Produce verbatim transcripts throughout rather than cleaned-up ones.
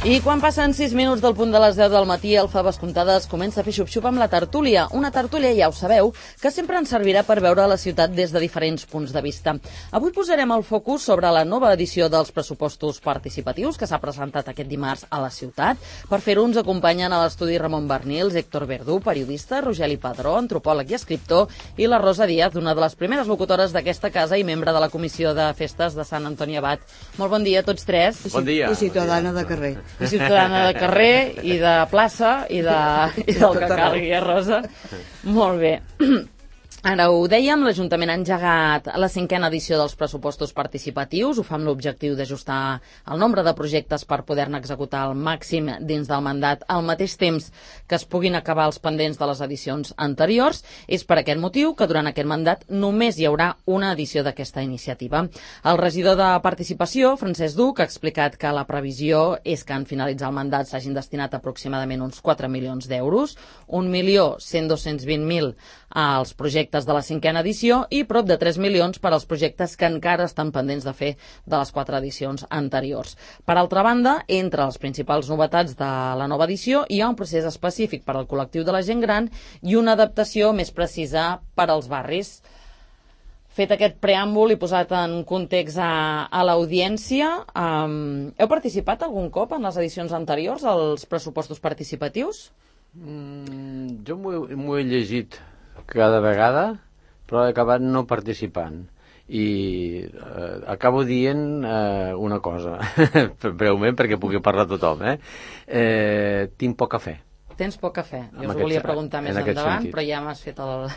I quan passen sis minuts del punt de les deu del matí, el Faves Comptades comença a fer xup-xup amb la tertúlia. Una tertúlia, ja ho sabeu, que sempre ens servirà per veure la ciutat des de diferents punts de vista. Avui posarem el focus sobre la nova edició dels pressupostos participatius que s'ha presentat aquest dimarts a la ciutat. Per fer-ho ens acompanyen a l'estudi Ramon Bernils, Héctor Verdú, periodista, Rogeli Padró, antropòleg i escriptor, i la Rosa Díaz, una de les primeres locutores d'aquesta casa i membre de la Comissió de Festes de Sant Antoni Abat. Molt bon dia a tots tres. Bon dia. I ciutadana de carrer. I ciutadana de carrer, i de plaça, i, de, i del que calgui, eh, Rosa? Molt bé. Ara ho dèiem, l'Ajuntament ha engegat la cinquena edició dels pressupostos participatius. Ho fa amb l'objectiu d'ajustar el nombre de projectes per poder-ne executar al màxim dins del mandat al mateix temps que es puguin acabar els pendents de les edicions anteriors. És per aquest motiu que durant aquest mandat només hi haurà una edició d'aquesta iniciativa. El regidor de Participació, Francesc Duc, ha explicat que la previsió és que en finalitzar el mandat s'hagin destinat aproximadament uns quatre milions d'euros, un milió cent dos-cents vint mil als projectes de la cinquena edició i prop de tres milions per als projectes que encara estan pendents de fer de les quatre edicions anteriors. Per altra banda, entre les principals novetats de la nova edició hi ha un procés específic per al col·lectiu de la gent gran i una adaptació més precisa per als barris. Fet aquest preàmbul i posat en context a, a l'audiència, um, heu participat algun cop en les edicions anteriors als pressupostos participatius? Mm, jo m'ho he llegit cada vegada, però he acabat no participant. I eh, acabo dient eh, una cosa, breument, perquè pugui parlar tothom. Eh? Eh, tinc poca fe. Tens poca fe. Jo us aquest, volia preguntar més endavant, sentit. però ja m'has fet el...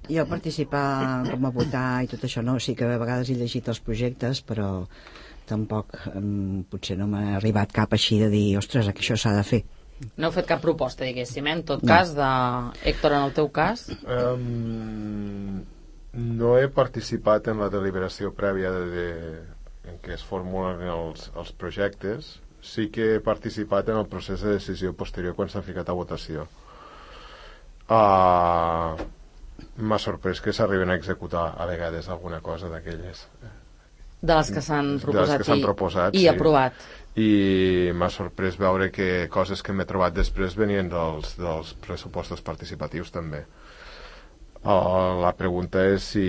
Jo participar, com a votar i tot això, no, sí que a vegades he llegit els projectes, però tampoc um, potser no m'ha arribat cap així de dir, ostres, que això s'ha de fer. No heu fet cap proposta, diguéssim, eh? En tot no. cas, de... Héctor, en el teu cas? Um, no he participat en la deliberació prèvia de, de, en què es formulen els, els projectes. Sí que he participat en el procés de decisió posterior quan s'ha ficat a votació. Uh, m'ha sorprès que s'arriben a executar a vegades alguna cosa d'aquelles. De les que s'han proposat, que i, proposat i sí. aprovat. I m'ha sorprès veure que coses que m'he trobat després venien dels, dels pressupostos participatius també. Uh, la pregunta és si,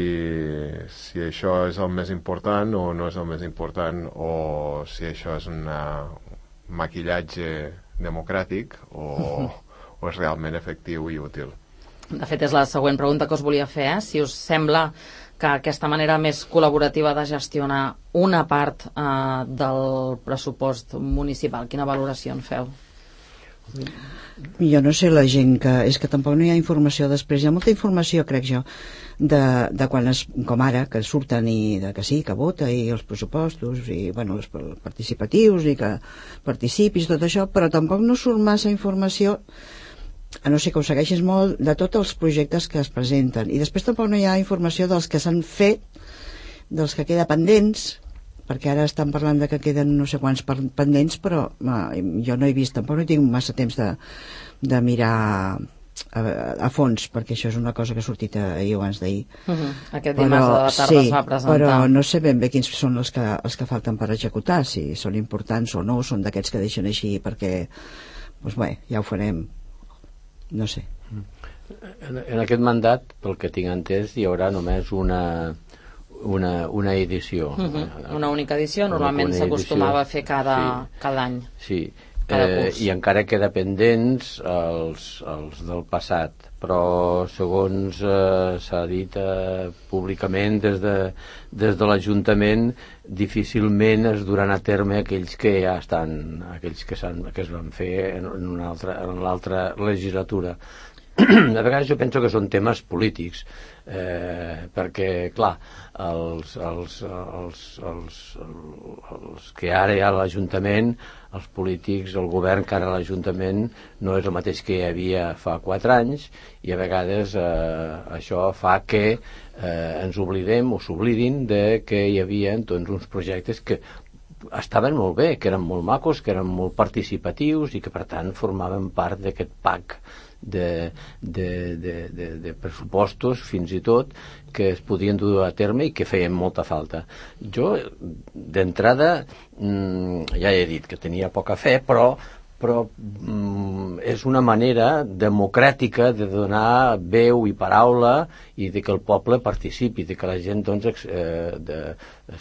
si això és el més important o no és el més important, o si això és un maquillatge democràtic o, o és realment efectiu i útil. De fet, és la següent pregunta que us volia fer, eh? Si us sembla que aquesta manera més col·laborativa de gestionar una part eh, del pressupost municipal, quina valoració en feu? Jo no sé, la gent que... És que tampoc no hi ha informació després. Hi ha molta informació, crec jo, de, de quan es, com ara, que surten i de que sí, que vota, i els pressupostos, i bueno, els participatius, i que participis, tot això, però tampoc no surt massa informació, a no ser que ho segueixis molt, de tots els projectes que es presenten. I després tampoc no hi ha informació dels que s'han fet, dels que queda pendents, perquè ara estan parlant de que queden no sé quants pendents, però eh, jo no he vist, tampoc no tinc massa temps de, de mirar a, a fons, perquè això és una cosa que ha sortit ahir o abans d'ahir. Uh -huh. Aquest dimarts de la tarda sí, es va presentar. Però no sé ben bé quins són els que, els que falten per executar, si són importants o no, són d'aquests que deixen així perquè, doncs bé, ja ho farem. No sé. En, en aquest mandat, pel que tinc entès, hi haurà només una una, una edició. Uh -huh. Una única edició, normalment s'acostumava a fer cada, sí. cada any. Sí, eh, i encara queda pendents els, els del passat, però segons eh, s'ha dit eh, públicament des de, des de l'Ajuntament, difícilment es duran a terme aquells que ja estan, aquells que, que es van fer en, en una altra, en l'altra legislatura. A vegades jo penso que són temes polítics, eh, perquè, clar, els, els, els, els, els que ara hi ha a l'Ajuntament, els polítics, el govern que ara a l'Ajuntament no és el mateix que hi havia fa quatre anys, i a vegades eh, això fa que eh, ens oblidem o s'oblidin de que hi havia doncs, uns projectes que estaven molt bé, que eren molt macos, que eren molt participatius i que per tant formaven part d'aquest pack de, de, de, de, de pressupostos, fins i tot, que es podien dur a terme i que feien molta falta. Jo, d'entrada, ja he dit que tenia poca fe, però però mm, és una manera democràtica de donar veu i paraula i de que el poble participi, de que la gent doncs, eh, de,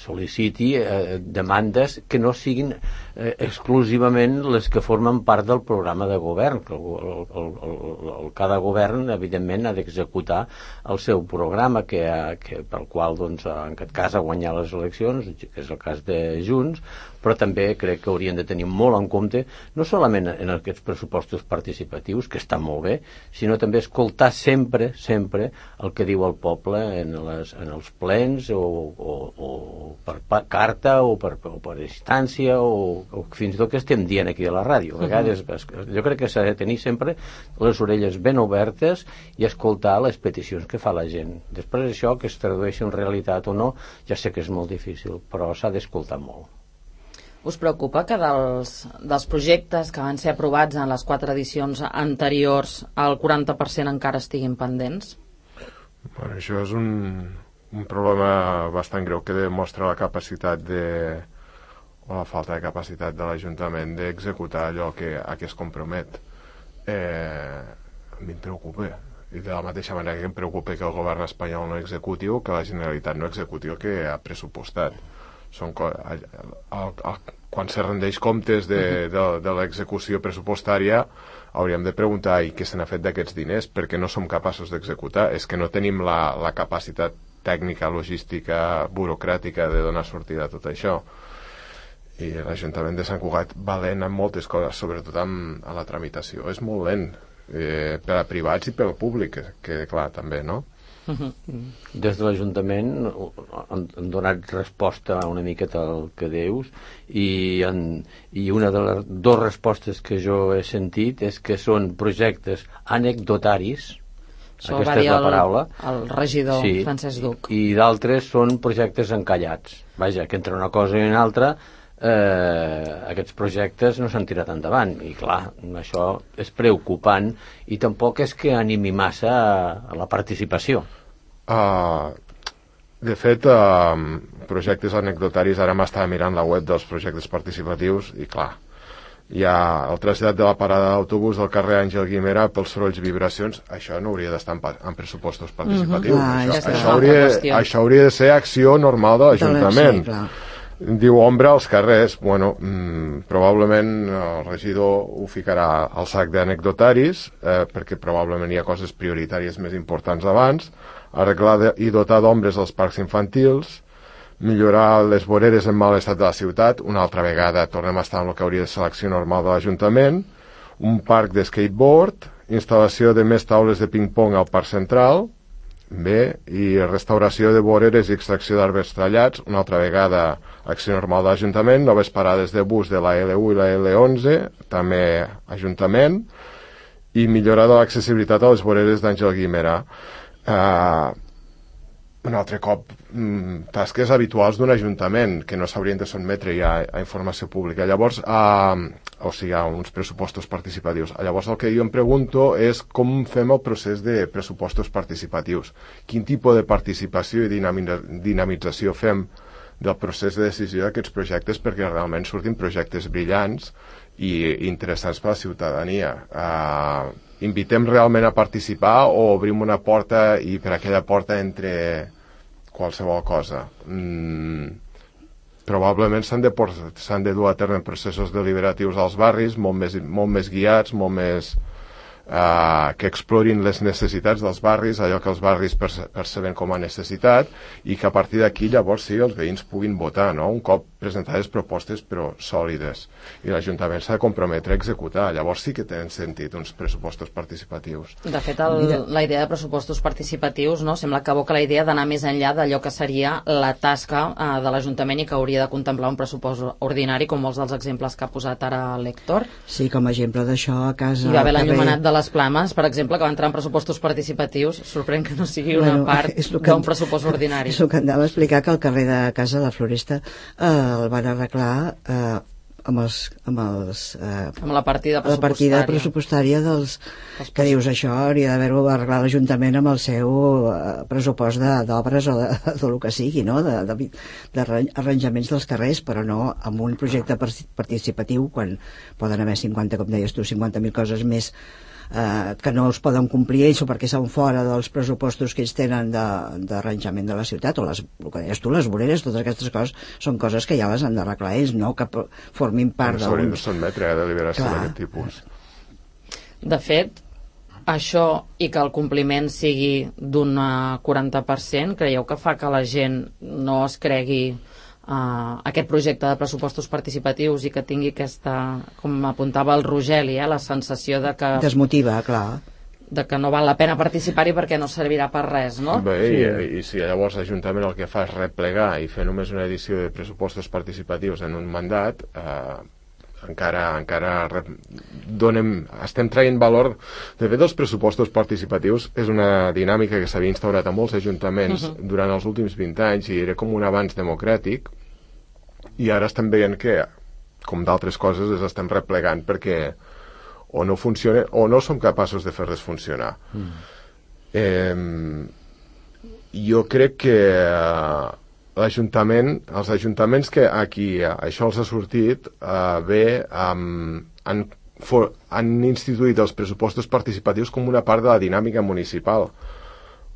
sol·liciti eh, demandes que no siguin eh, exclusivament les que formen part del programa de govern, que el, el, el, el, cada govern evidentment ha d'executar el seu programa que, ha, que pel qual doncs, en aquest cas ha guanyat les eleccions, que és el cas de Junts, però també crec que haurien de tenir molt en compte no solament en aquests pressupostos participatius, que estan molt bé, sinó també escoltar sempre, sempre el que diu el poble en, les, en els plens o, o, o per, per carta o per, o per instància o, o fins i tot que estem dient aquí a la ràdio. A vegades, jo crec que s'ha de tenir sempre les orelles ben obertes i escoltar les peticions que fa la gent. Després això, que es tradueixi en realitat o no, ja sé que és molt difícil, però s'ha d'escoltar molt. Us preocupa que dels, dels projectes que van ser aprovats en les quatre edicions anteriors el quaranta per cent encara estiguin pendents? Bueno, això és un, un problema bastant greu que demostra la capacitat de, o la falta de capacitat de l'Ajuntament d'executar allò que, a què es compromet. Eh, a mi em preocupa. I de la mateixa manera que em preocupa que el govern espanyol no executi o que la Generalitat no executi el que ha pressupostat. Són co- el, el, el, quan se rendeix comptes de, de, de l'execució pressupostària hauríem de preguntar i què se n'ha fet d'aquests diners, perquè no som capaços d'executar. És que no tenim la, la capacitat tècnica, logística, burocràtica de donar sortida a tot això. I l'Ajuntament de Sant Cugat va lent en moltes coses, sobretot amb, a la tramitació. És molt lent, eh, per a privats i per al públic, que, que clar, també, no? Des de l'Ajuntament han, han donat resposta una miqueta al que dius i, en, i una de les dues respostes que jo he sentit és que són projectes anecdotaris. Això Aquesta va dir és la el, paraula. el regidor Sí, Francesc Duc. i, i d'altres són projectes encallats. Vaja, que entre una cosa i una altra eh, aquests projectes no s'han tirat endavant i clar, això és preocupant i tampoc és que animi massa a, a la participació. Uh, de fet, uh, projectes anecdotaris, ara m'estava mirant la web dels projectes participatius i clar, hi ha el trasllat de la parada d'autobús del carrer Àngel Guimerà pels sorolls i vibracions. Això no hauria d'estar en, pa- en pressupostos participatius. Mm-hmm. Ah, això, és això, una hauria, altra qüestió. això hauria de ser acció normal de l'Ajuntament. Sí, clar. Diu ombra als carrers. Bueno, mmm, probablement el regidor ho ficarà al sac d'anecdotaris, eh, perquè probablement hi ha coses prioritàries més importants abans. Arreglar de, i dotar d'ombres els parcs infantils, millorar les voreres en mal estat de la ciutat, una altra vegada tornem a estar en el que hauria de ser l'acció normal de l'Ajuntament, un parc de skateboard, instal·lació de més taules de ping-pong al parc central, bé, i restauració de voreres i extracció d'arbres tallats, una altra vegada acció normal de l'Ajuntament, noves parades de bus de la L u i la L onze, també Ajuntament, i millorar de l'accessibilitat a les voreres d'Àngel Guimerà. Uh, un altre cop mm, tasques habituals d'un ajuntament que no s'haurien de sotmetre ja a, a informació pública. Llavors, uh, o sigui, a uns pressupostos participatius. Llavors el que jo em pregunto és com fem el procés de pressupostos participatius. Quin tipus de participació i dinami- dinamització fem del procés de decisió d'aquests projectes perquè realment surtin projectes brillants i interessants per a la ciutadania. Uh, invitem realment a participar o obrim una porta i per aquella porta entre qualsevol cosa? Mm, probablement s'han de, por- s'han de dur a terme processos deliberatius als barris molt més, molt més guiats, molt més Uh, que explorin les necessitats dels barris, allò que els barris perce- perceben com a necessitat i que a partir d'aquí llavors sí els veïns puguin votar, no? Un cop presentades propostes però sòlides, i l'Ajuntament s'ha de comprometre a executar. Llavors sí que tenen sentit uns pressupostos participatius. De fet, el, la idea de pressupostos participatius, no, sembla que aboca la idea d'anar més enllà d'allò que seria la tasca eh, de l'Ajuntament i que hauria de contemplar un pressupost ordinari, com molts dels exemples que ha posat ara l'Héctor. Sí, com a exemple d'això a casa... Hi va haver al carrer- l'enllumenat de les Plames, per exemple, que va entrar en pressupostos participatius. Sorprèn que no sigui una Bueno, part és lo que- d'un pressupost ordinari. És el que em anava a explicar, que al carrer de casa, la Floresta, eh, el van arreglar eh, amb els, amb els eh, amb la partida pressupostària, la partida pressupostària dels, els que dius això hauria d'haver-ho arreglat l'Ajuntament amb el seu eh, pressupost d'obres o de, de lo que sigui, no? de, de, de arranjaments dels carrers, però no amb un projecte participatiu quan poden haver cinquanta, com deies tu, cinquanta mil coses més eh, que no els poden complir ells o perquè són fora dels pressupostos que ells tenen d'arranjament de, de la ciutat, o les, el que deies tu, les voreres, totes aquestes coses són coses que ja les han d'arreglar ells, no que formin part d'uns... S'haurien de sotmetre a deliberació d'aquest tipus. De fet, això i que el compliment sigui d'un quaranta per cent, creieu que fa que la gent no es cregui Uh, aquest projecte de pressupostos participatius i que tingui aquesta, com apuntava el Rogeli, eh, la sensació de que desmotiva, clar, de que no val la pena participar-hi perquè no servirà per res, no? Bé, sí. i, i si llavors l'Ajuntament el que fa és replegar i fer només una edició de pressupostos participatius en un mandat, eh, encara, encara donem, estem traient valor. De fet, els pressupostos participatius és una dinàmica que s'havia instaurat a molts ajuntaments uh-huh. durant els últims vint anys i era com un avanç democràtic, i ara estem veient que, com d'altres coses, les estem replegant perquè o no funciona o no som capaços de fer-les funcionar. Mm. Eh, jo crec que eh, l'Ajuntament, els ajuntaments que aquí eh, això els ha sortit eh, bé, um, han, for, han instituït els pressupostos participatius com una part de la dinàmica municipal.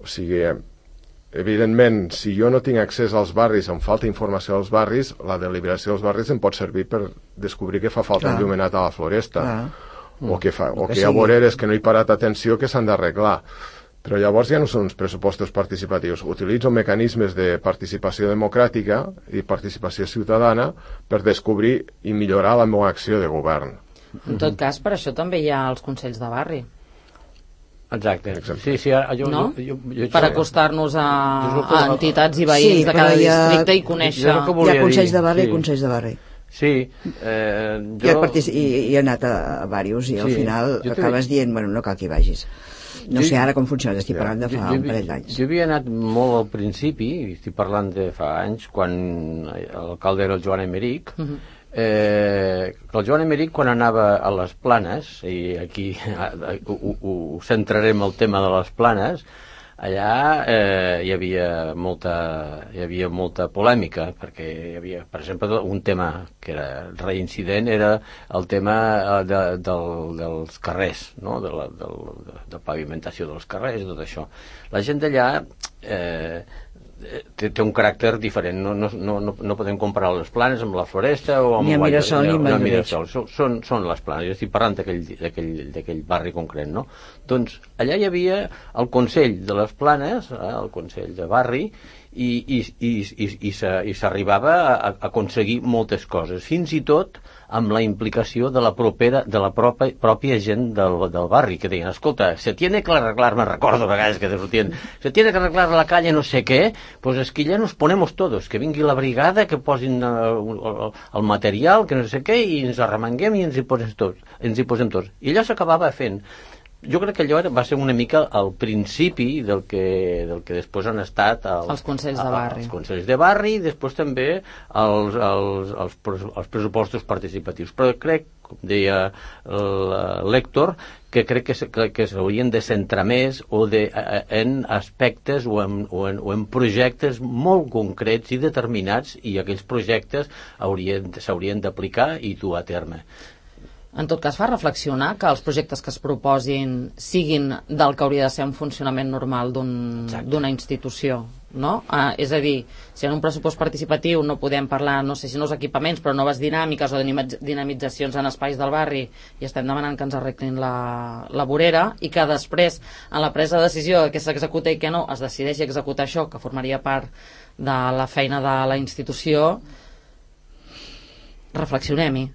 O sigui, evidentment, si jo no tinc accés als barris, em falta informació als barris, la deliberació dels barris em pot servir per descobrir que fa falta enllumenat a la floresta. Clar. O que, fa, o que hi ha voreres que no hi he parat atenció que s'han d'arreglar. Però llavors ja no són uns pressupostos participatius. Utilitzo mecanismes de participació democràtica i participació ciutadana per descobrir i millorar la meva acció de govern. En tot cas, per això també hi ha els consells de barri. Exacte. Sí, sí, jo, no? jo, jo, jo, per acostar-nos a, a entitats i veïns sí, de cada districte i conèixer... Hi ha consells de barri sí. i consells de barri. Sí, eh, jo... I, partic... I, i he anat a, a diversos i sí, al final acabes dient, bueno, no cal que hi vagis. No jo, sé ara com funciona, estic parlant de fa jo, un parell d'anys. Jo havia anat molt al principi, estic parlant de fa anys, quan l'alcalde era el Joan Emeric, uh-huh. eh, el Joan Emeric quan anava a les Planes, i aquí ho, ho, ho centrarem el tema de les Planes, allà eh, hi havia molta hi havia molta polèmica perquè hi havia, per exemple, un tema que era reincident era el tema de, del, dels carrers, no? de, la, del, de, de pavimentació dels carrers i tot això. La gent d'allà eh, té, té un caràcter diferent, no, no, no, no podem comparar les Planes amb la Floresta o amb ni a Mirasol ni amb Mirasol, són, són les Planes. Jo estic parlant d'aquell barri concret, no? Doncs allà hi havia el Consell de les Planes, eh, el Consell de Barri, i, i, i, i, i s'arribava a, a aconseguir moltes coses, fins i tot amb la implicació de la, propera, de la pròpia, pròpia gent del, del barri, que deien, escolta, se tiene que arreglar, me recordo a vegades que sortien, se tiene que arreglar la calle no sé què, pues es que ya nos ponemos todos, que vingui la brigada, que posin uh, el material, que no sé què, i ens arremanguem i ens hi posem tots. Ens hi posem tots. I allò s'acabava fent. Jo crec que allò va ser una mica al principi del que, del que després han estat els, els consells de barri. Els consells de barri i després també els, els, els, els pressupostos participatius. Però crec, com deia l'Héctor, que crec que, que, que s'haurien de centrar més o de, en aspectes o en, o, en, o en projectes molt concrets i determinats, i aquells projectes s'haurien d'aplicar i dur a terme. En tot cas, fa reflexionar que els projectes que es proposin siguin del que hauria de ser un funcionament normal d'una un, institució, no? Ah, és a dir, si en un pressupost participatiu no podem parlar, no sé si nous equipaments, però noves dinàmiques o dinamitzacions en espais del barri, i estem demanant que ens arreglin la, la vorera, i que després, en la presa de decisió de què s'executa i què no, es decideixi executar això, que formaria part de la feina de la institució, reflexionem-hi.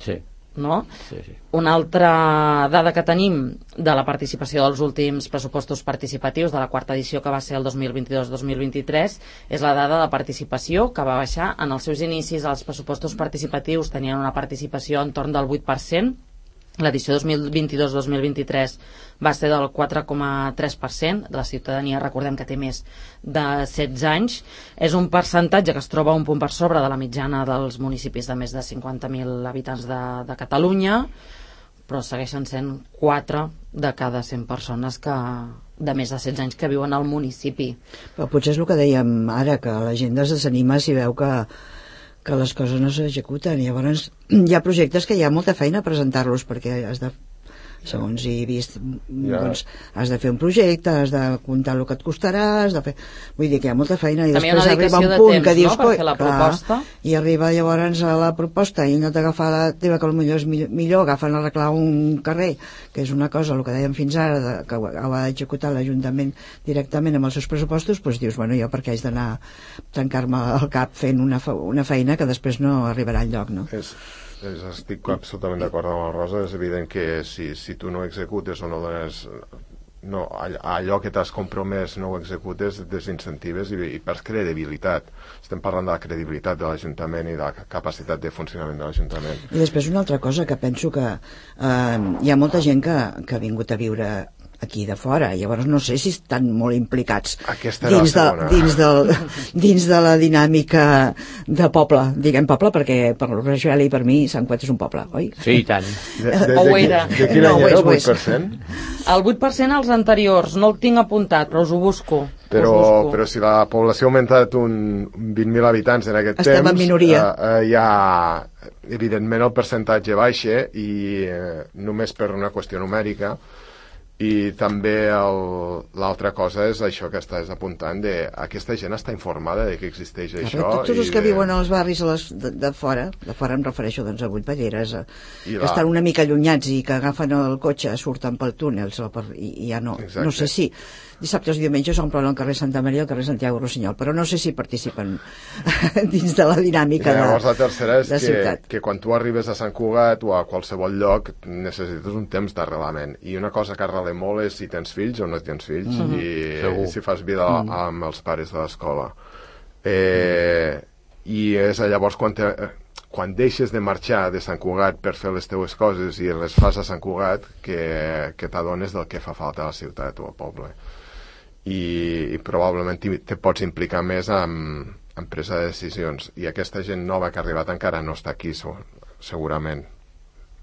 Sí. No? Sí, sí. Una altra dada que tenim de la participació dels últims pressupostos participatius de la quarta edició, que va ser el dos mil vint-i-dos dos mil vint-i-tres, és la dada de participació, que va baixar en els seus inicis. Els pressupostos participatius tenien una participació entorn del vuit per cent L'edició dos mil vint-i-dos dos mil vint-i-tres va ser del quatre coma tres per cent de la ciutadania, recordem que té més de setze anys. És un percentatge que es troba un punt per sobre de la mitjana dels municipis de més de cinquanta mil habitants de, de Catalunya, però segueixen sent quatre de cada cent persones que, de més de setze anys que viuen al municipi. Però potser és el que dèiem ara, que la gent es desanima si veu que que les coses no s'executen. Llavors hi ha projectes que hi ha molta feina a presentar-los, perquè has de, segons he vist, ja. doncs has de fer un projecte, has de comptar el que et costarà, has de fer... Vull dir que hi ha molta feina i també després arriba un punt que dius, no? Per fer la proposta. Clar, i arriba llavors a la proposta i no t'agafa la teva, que potser és millor agafen a arreglar un carrer, que és una cosa, el que dèiem fins ara, de, que ho ha d'executar l'Ajuntament directament amb els seus pressupostos, doncs dius, bueno, jo perquè haig d'anar a tancar-me al cap fent una, una feina que després no arribarà enlloc, no? És... Estic absolutament d'acord amb la Rosa. És evident que si, si tu no executes o no dones no, allò que t'has compromès no ho executes, desincentives i, i perds credibilitat. Estem parlant de la credibilitat de l'Ajuntament i de la capacitat de funcionament de l'Ajuntament. I després una altra cosa, que penso que eh, hi ha molta gent que, que ha vingut a viure aquí de fora, llavors no sé si estan molt implicats dins de, dins, del, dins de la dinàmica de poble, diguem poble, perquè per Rachel i per mi Sant Cugat és un poble, oi? Sí, i tant. De, de, de, o ho era. De, de quin any era el vuit per cent? El vuit per cent als anteriors, no el tinc apuntat, però us ho busco. Però, us busco. però si la població ha augmentat un vint mil habitants en aquest Estem temps, en minoria. Eh, eh, hi ha, evidentment, el percentatge baixa i eh, només per una qüestió numèrica. I també l'altra cosa és això que estàs apuntant, de aquesta gent està informada de que existeix ja, això. Tots els que de... viuen als barris a les, de, de fora, de fora em refereixo doncs, a Vuitballeres, a, que la... estan una mica allunyats i que agafen el cotxe, surten pel túnel per, i, i ja no, Exacte. no sé si dissabtes i diumenges s'omplen el carrer Santa Maria i el carrer Santiago Rossinyol, però no sé si participen dins de la dinàmica de, llavors, la tercera és de que, ciutat. Que quan tu arribes a Sant Cugat o a qualsevol lloc necessites un temps d'arrelament, i una cosa que arrela molt és si tens fills o no tens fills, mm-hmm. i, i si fas vida mm. amb els pares de l'escola. Eh, I és llavors quan, te, quan deixes de marxar de Sant Cugat per fer les teues coses i les fas a Sant Cugat que, que t'adones del que fa falta a la ciutat o al poble. I, i probablement te pots implicar més en, en presa de decisions, i aquesta gent nova que ha arribat encara no està aquí, segurament.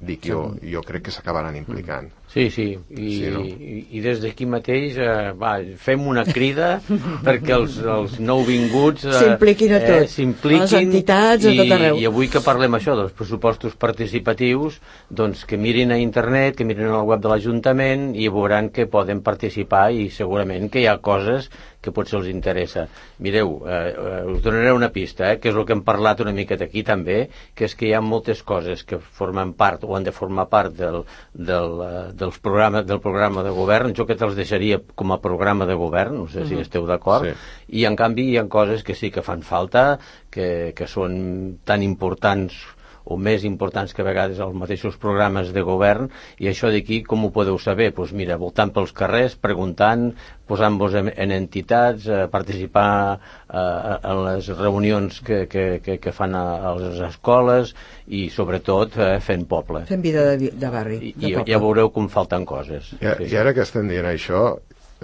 Dic jo, jo crec que s'acabaran implicant. Sí, sí, i, sí, no? i, i des d'aquí mateix eh, va, fem una crida perquè els, els nouvinguts eh, s'impliquin a tot, eh, s'impliquin, les entitats a tot arreu. I, i avui que parlem això dels pressupostos participatius, doncs que mirin a internet, que mirin al web de l'Ajuntament i veuran que poden participar, i segurament que hi ha coses que potser els interessa. Mireu, eh, eh, us donaré una pista, eh, que és el que hem parlat una miqueta aquí també, que és que hi ha moltes coses que formen part o han de formar part del, del, dels programes, del programa de govern. Jo que te'ls deixaria com a programa de govern, no sé uh-huh. si esteu d'acord, sí. I en canvi hi ha coses que sí que fan falta, que, que són tan importants o més importants que a vegades els mateixos programes de govern, i això d'aquí com ho podeu saber? Doncs pues mira, voltant pels carrers, preguntant, posant-vos en, en entitats, eh, participar eh, en les reunions que, que, que, que fan a, a les escoles i sobretot eh, fent poble. Fent vida de, de barri, de I, poble. I ja veureu com falten coses. I, sí. I ara que estem dient això,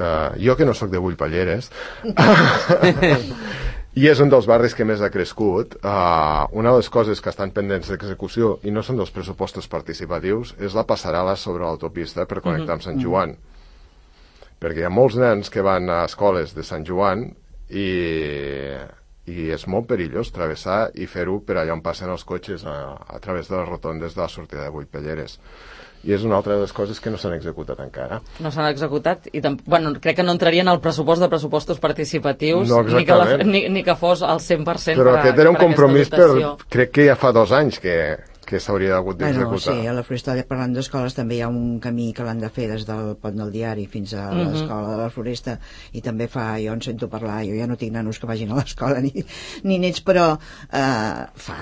eh, jo que no sóc de Vuitballeres... i és un dels barris que més ha crescut. Uh, una de les coses que estan pendents d'execució, i no són dels pressupostos participatius, és la passarel·la sobre l'autopista per connectar amb Sant Joan. Mm-hmm. Perquè hi ha molts nens que van a escoles de Sant Joan i, i és molt perillós travessar i fer-ho per allà on passen els cotxes a, a través de les rotondes de la sortida de Vuitballeres. I és una altra de les coses que no s'han executat encara. No s'han executat i bueno, crec que no entrarien al pressupost de pressupostos participatius, no, ni, que la, ni, ni que fos al cent per cent. Però per a, aquest era un per compromís per, crec que ja fa dos anys que, que s'hauria hagut d'executar. Bueno, sí, a la Floresta, parlant d'escoles, també hi ha un camí que l'han de fer des del Pont del Diari fins a mm-hmm. l'escola de la Floresta, i també fa, jo en sento parlar, jo ja no tinc nanos que vagin a l'escola ni, ni nets, però eh, fa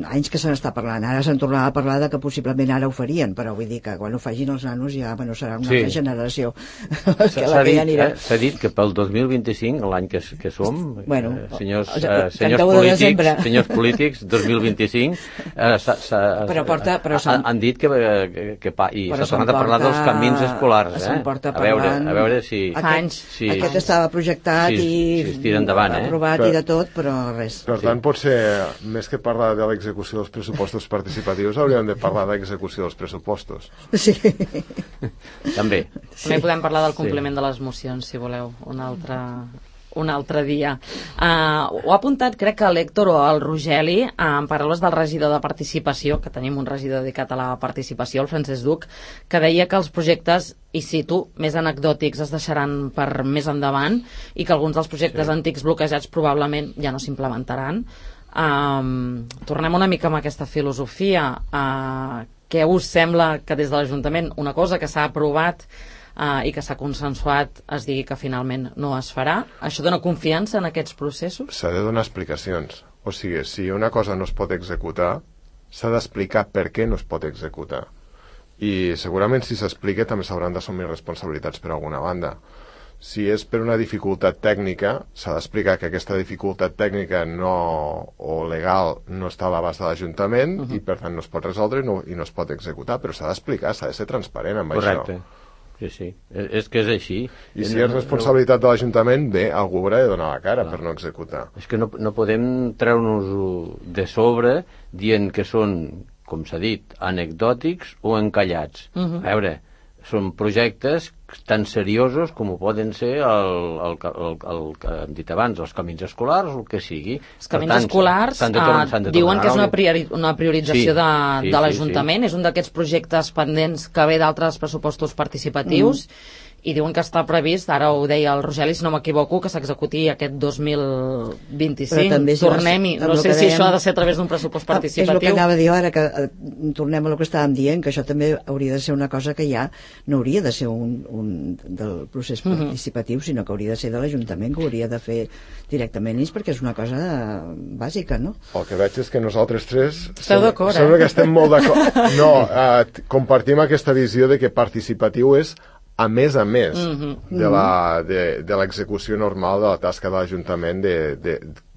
anys que se n'està parlant. Ara se'n tornava a parlar de que possiblement ara ho farien, però vull dir que quan ho facin els nanos ja, bueno, serà una sí. altra generació que la que ja anirà. S'ha eh, dit que pel dos mil vint-i-cinc, l'any que, que som, bueno, eh, senyors, el, el, eh, senyors, polítics, senyors polítics, dos mil vint-i-cinc, eh, però porta, però han, han dit que, que, que pa, i s'ha tornat a parlar dels camins escolars, eh? Porta a veure, a veure si... Aquest, si aquest estava projectat si, i si es tira endavant, eh? aprovat per, i de tot, però res. Per tant, potser, més que parlar de l'execució dels pressupostos participatius, hauríem de parlar d'execució dels pressupostos. Sí. També. Sí. També podem parlar del compliment sí. de les mocions, si voleu, un altre... un altre dia. Uh, ho ha apuntat, crec que l'Héctor o el Rogeli, uh, en paraules del regidor de participació, que tenim un regidor dedicat a la participació, el Francesc Duc, que deia que els projectes, i cito, més anecdòtics es deixaran per més endavant i que alguns dels projectes sí. antics bloquejats probablement ja no s'implementaran. Um, tornem una mica amb aquesta filosofia. Uh, què us sembla que des de l'Ajuntament una cosa que s'ha aprovat Uh, i que s'ha consensuat es digui que finalment no es farà? Això dona confiança en aquests processos? S'ha de donar explicacions. O sigui, si una cosa no es pot executar, s'ha d'explicar per què no es pot executar. I segurament si s'explica també s'hauran d'assumir responsabilitats per alguna banda. Si és per una dificultat tècnica, s'ha d'explicar que aquesta dificultat tècnica no, o legal no està a l'abast de l'Ajuntament uh-huh. i per tant no es pot resoldre i no, i no es pot executar, però s'ha d'explicar, s'ha de ser transparent amb Correcte. Això. Sí, sí, és que és així. I si és responsabilitat de l'Ajuntament, bé, algú haurà de donar la cara no. per no executar. És que no, no podem treure-nos de sobre dient que són, com s'ha dit, anecdòtics o encallats. Uh-huh. A veure, són projectes tan seriosos com ho poden ser el, el, el, el, el que hem dit abans, els camins escolars o el que sigui. Els camins tant, escolars de torn, uh, diuen que és una, priori, una priorització sí, de, sí, de l'Ajuntament, sí, sí. és un d'aquests projectes pendents que ve d'altres pressupostos participatius mm. i diuen que està previst, ara ho deia el Rogeli, si no m'equivoco, que s'executi aquest dos mil vint-i-cinc. Tornem-hi. No sé si dèiem, això ha de ser a través d'un pressupost participatiu. És el que anava a dir ara, que eh, tornem a el que estàvem dient, que això també hauria de ser una cosa que ja no hauria de ser un, un del procés participatiu, uh-huh. sinó que hauria de ser de l'Ajuntament, que ho hauria de fer directament ells, perquè és una cosa bàsica, no? El que veig és que nosaltres tres esteu d'acord, eh? Sembla que estem molt d'acord. No, eh, compartim aquesta visió de que participatiu és a més a més mm-hmm. de la, de, de l'execució normal de la tasca de l'Ajuntament de, de,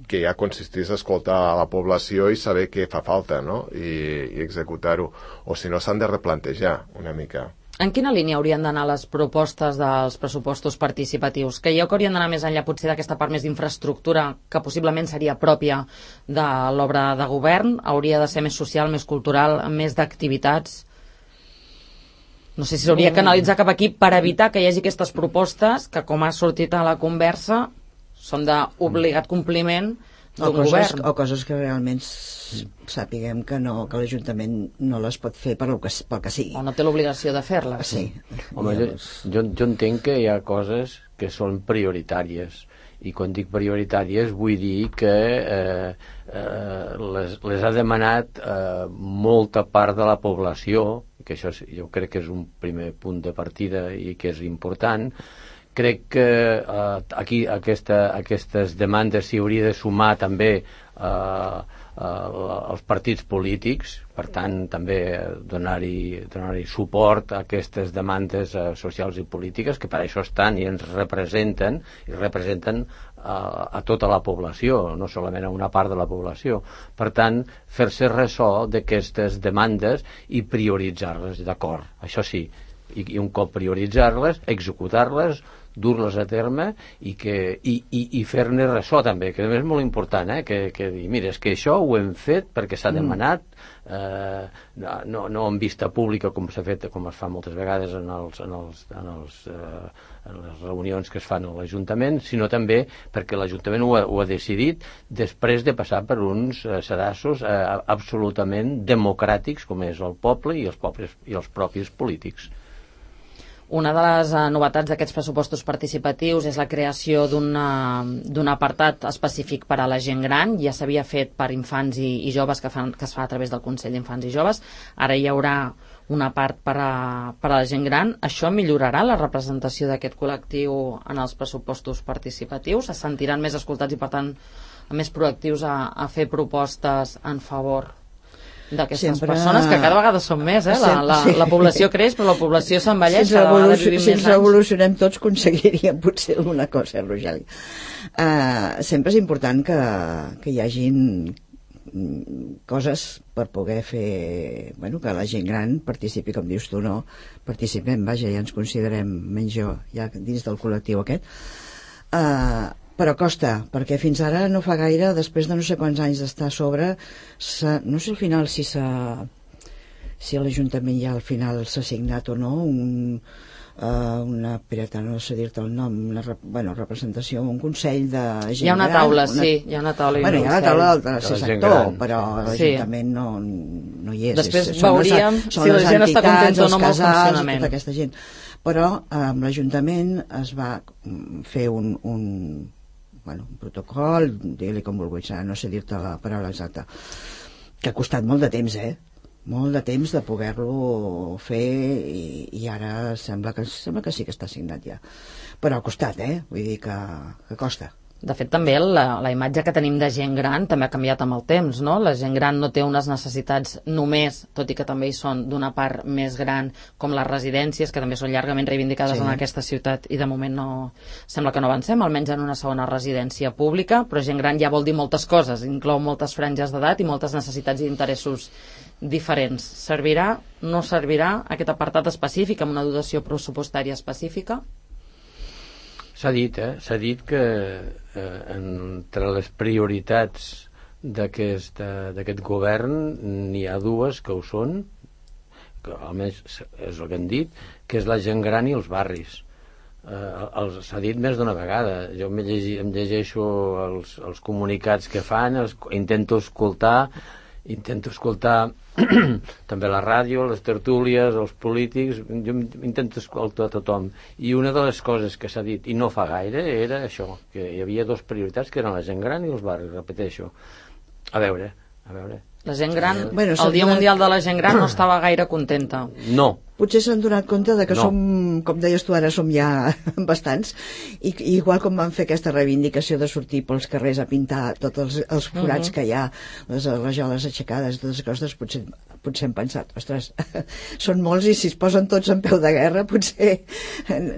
que ja consistís a escoltar a la població i saber què fa falta, no? I, i executar-ho. O si no, s'han de replantejar una mica. En quina línia haurien d'anar les propostes dels pressupostos participatius? Creieu que haurien d'anar més enllà potser d'aquesta part més d'infraestructura que possiblement seria pròpia de l'obra de govern? Hauria de ser més social, més cultural, més d'activitats? No sé si s'hauria que analitzar cap aquí per evitar que hi hagi aquestes propostes que, com ha sortit a la conversa, són d'obligat compliment d'un govern. O coses que realment sàpiguem que, no, que l'Ajuntament no les pot fer per que, pel que sigui. O no té l'obligació de fer-les. Sí. Home, jo, jo, jo entenc que hi ha coses que són prioritàries. I quan dic prioritàries vull dir que eh, eh, les, les ha demanat eh, molta part de la població, que això jo crec que és un primer punt de partida i que és important. Crec que eh, aquí aquesta, aquestes demandes s'hi hauria de sumar també eh, els partits polítics, per tant també donar-hi donar-hi suport a aquestes demandes eh, socials i polítiques que per això estan i ens representen i representen a, a tota la població, no solament a una part de la població. Per tant, fer-se ressò d'aquestes demandes i prioritzar-les, d'acord, això sí, i, i un cop prioritzar-les, executar-les, dur-les a terme i, que, i, i, i fer-ne ressò també, que és molt important, eh? que, que dir, mira, és que això ho hem fet perquè s'ha demanat, eh, no, no en vista pública com s'ha fet, com es fa moltes vegades en, els, en, els, en, els, eh, en les reunions que es fan a l'Ajuntament, sinó també perquè l'Ajuntament ho ha, ho ha decidit després de passar per uns eh, sedassos eh, absolutament democràtics com és el poble i els, pobles, i els propis polítics. Una de les uh, novetats d'aquests pressupostos participatius és la creació d'un apartat específic per a la gent gran. Ja s'havia fet per infants i, i joves que, fan, que es fa a través del Consell d'Infants i Joves. Ara hi haurà una part per a, per a la gent gran. Això millorarà la representació d'aquest col·lectiu en els pressupostos participatius? Se sentiran més escoltats i, per tant, més proactius a, a fer propostes en favor d'aquestes sempre... persones, que cada vegada són més, eh? La, la, sí. la població creix, però la població s'envelleix, si cada vegada vivim si més anys. Si ens revolucionem tots, aconseguiríem potser alguna cosa, Rogeli. Uh, sempre és important que, que hi hagin coses per poder fer, bueno, que la gent gran participi, com dius tu, no? Participem, vaja, ja ens considerem, menys jo, ja dins del col·lectiu aquest. Uh, però costa, perquè fins ara no fa gaire, després de no sé quants anys d'estar a sobre, no sé al final si s'ha si a l'Ajuntament ja al final s'ha signat o no un, uh, una, espera, no sé dir-te el nom, una bueno, representació, un consell de gent gran. Hi ha una taula, una... sí, hi ha una taula. Bueno, hi ha una taula del tercer sector, però l'Ajuntament sí. no, no hi és. Després és, veuríem les, si la gent està contenta o no amb el funcionament. Tota aquesta gent. Però amb l'Ajuntament es va fer un, un, bueno, un protocol, digue-li com vulguis, no sé dir-te la paraula exacta, que ha costat molt de temps, eh? molt de temps de poder-lo fer i, i ara sembla que, sembla que sí que està signat ja, però ha costat, eh? Vull dir que, que costa. De fet, també la, la imatge que tenim de gent gran també ha canviat amb el temps, no? La gent gran no té unes necessitats només, tot i que també hi són d'una part més gran, com les residències, que també són llargament reivindicades sí. en aquesta ciutat, i de moment no sembla que no avancem, almenys en una segona residència pública, però gent gran ja vol dir moltes coses, inclou moltes franges d'edat i moltes necessitats i interessos diferents. Servirà, no servirà aquest apartat específic amb una dotació pressupostària específica? S'ha dit, eh? S'ha dit que eh, entre les prioritats d'aquest d'aquest govern n'hi ha dues que ho són, que almenys és el que han dit, que és la gent gran i els barris. Eh, s'ha dit més d'una vegada. Jo em, llegi, em llegeixo els, els comunicats que fan, els, intento escoltar intento escoltar també la ràdio, les tertúlies, els polítics, jo intento escoltar tothom, i una de les coses que s'ha dit, i no fa gaire, era això, que hi havia dues prioritats que eren la gent gran i els barris, repeteixo. A veure, a veure. La gent gran, bueno, el Dia Mundial de la Gent Gran no estava gaire contenta. No. Potser s'han donat compte de que no. som, com deies tu ara, som ja bastants, i, i igual com van fer aquesta reivindicació de sortir pels carrers a pintar tots els, els forats uh-huh. que hi ha, les rajoles aixecades, totes les coses, potser, potser hem pensat, ostres, són molts i si es posen tots en peu de guerra, potser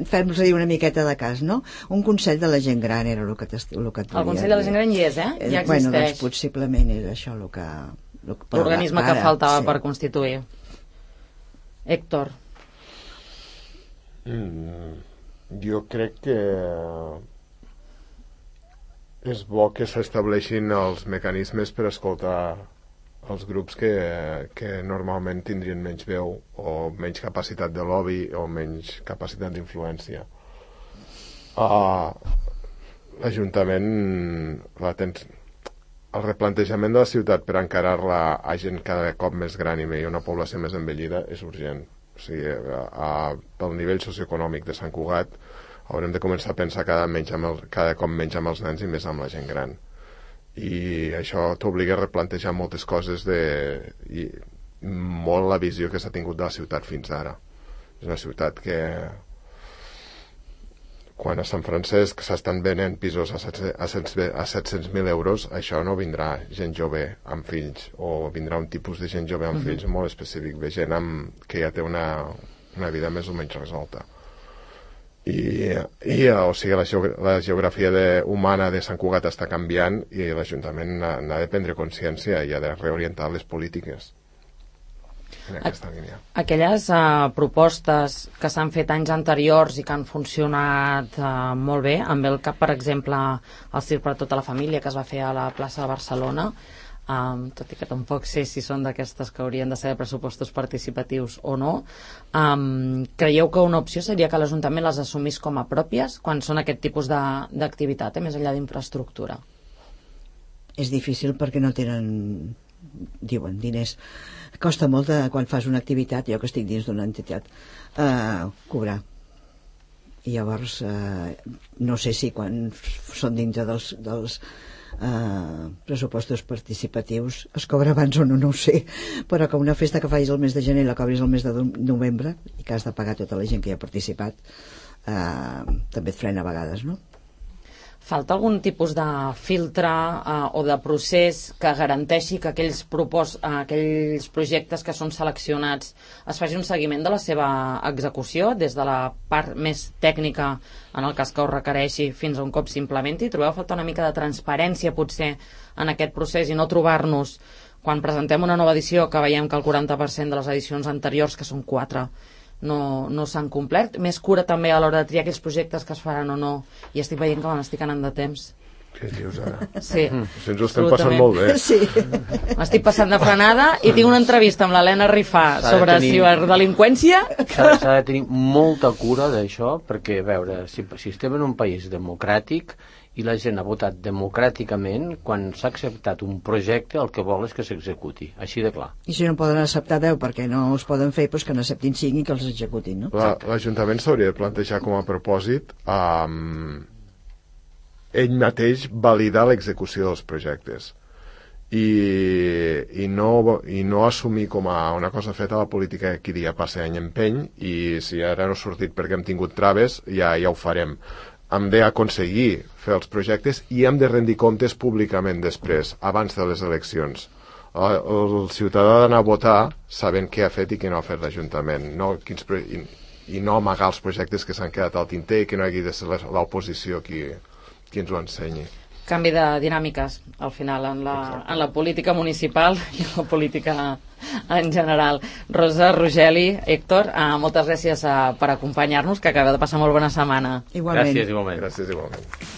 fem-los una miqueta de cas, no? Un Consell de la Gent Gran era el que, el que el Consell de la Gent Gran hi és, eh? Ja existeix. Bueno, doncs possiblement era això el que... l'organisme que faltava sí. per constituir. Héctor. Mm, jo crec que és bo que s'estableixin els mecanismes per escoltar els grups que, que normalment tindrien menys veu o menys capacitat de lobby o menys capacitat d'influència. Uh, L'Ajuntament la tens... El replantejament de la ciutat per encarar-la a gent cada cop més gran i una població més envellida és urgent. O sigui, a, a, pel nivell socioeconòmic de Sant Cugat haurem de començar a pensar cada, menys amb el, cada cop menys amb els nens i més amb la gent gran. I això t'obliga a replantejar moltes coses de, i molt la visió que s'ha tingut de la ciutat fins ara. És una ciutat que quan a Sant Francesc s'estan venent pisos a set-cents mil euros, això no vindrà gent jove amb fills, o vindrà un tipus de gent jove amb uh-huh. fills molt específic, de gent amb, que ja té una, una vida més o menys resolta. I, i o sigui, la, geog la geografia de, humana de Sant Cugat està canviant i l'Ajuntament n'ha de prendre consciència i ha de reorientar les polítiques en aquesta línia. Aquelles uh, propostes que s'han fet anys anteriors i que han funcionat uh, molt bé, amb el cap, per exemple, el Circ per a tota la família que es va fer a la plaça de Barcelona, um, tot i que tampoc sé si són d'aquestes que haurien de ser de pressupostos participatius o no, um, creieu que una opció seria que l'Ajuntament les assumís com a pròpies quan són aquest tipus d'activitat, eh, més enllà d'infraestructura? És difícil perquè no tenen, diuen, diners. Costa molt de, quan fas una activitat, jo que estic dins d'una entitat, eh, cobrar. I llavors eh, no sé si quan són dintre dels, dels eh, pressupostos participatius es cobra abans o no, no ho sé, però que una festa que facis el mes de gener la cobris el mes de novembre i que has de pagar tota la gent que hi ha participat, eh, també et frena a vegades, no? Falta algun tipus de filtre eh, o de procés que garanteixi que aquells, propos, eh, aquells projectes que són seleccionats es faci un seguiment de la seva execució des de la part més tècnica, en el cas que ho requereixi, fins a un cop s'implementi? Trobeu a faltar una mica de transparència potser en aquest procés i no trobar-nos quan presentem una nova edició que veiem que el quaranta per cent de les edicions anteriors, que són quatre, no, no s'han complert? Més cura també a l'hora de triar aquells projectes que es faran o no, i estic veient que me n'estic anant de temps. Què dius ara? Sí. Si ens ho estem passant molt bé. Sí. M'estic passant de frenada i tinc una entrevista amb l'Helena Rifà sobre tenir... ciberdelinqüència. S'ha de tenir molta cura d'això, perquè, a veure, si, si estem en un país democràtic i la gent ha votat democràticament, quan s'ha acceptat un projecte el que vol és que s'executi, així de clar. I si no poden acceptar deu perquè no els poden fer, doncs que n'acceptin cinc i que els executin, no? L'Ajuntament s'hauria de plantejar com a propòsit um, ell mateix validar l'execució dels projectes i, i, no, i no assumir com a una cosa feta la política que dia passa any empeny i si ara no ha sortit perquè hem tingut traves ja, ja ho farem. Hem d'aconseguir fer els projectes i hem de rendir comptes públicament després, abans de les eleccions. El, el ciutadà ha d'anar a votar sabent què ha fet i què no ha fet l'Ajuntament, no, quins pro... I, i no amagar els projectes que s'han quedat al tinter i que no hagi de ser l'oposició qui, qui ens ho ensenyi. Canvi de dinàmiques, al final, en la, en la política municipal i en la política en general. Rosa, Rogeli, Héctor, eh, moltes gràcies eh, per acompanyar-nos, que acabeu de passar molt bona setmana. Igualment. Gràcies, igualment. Gràcies, igualment.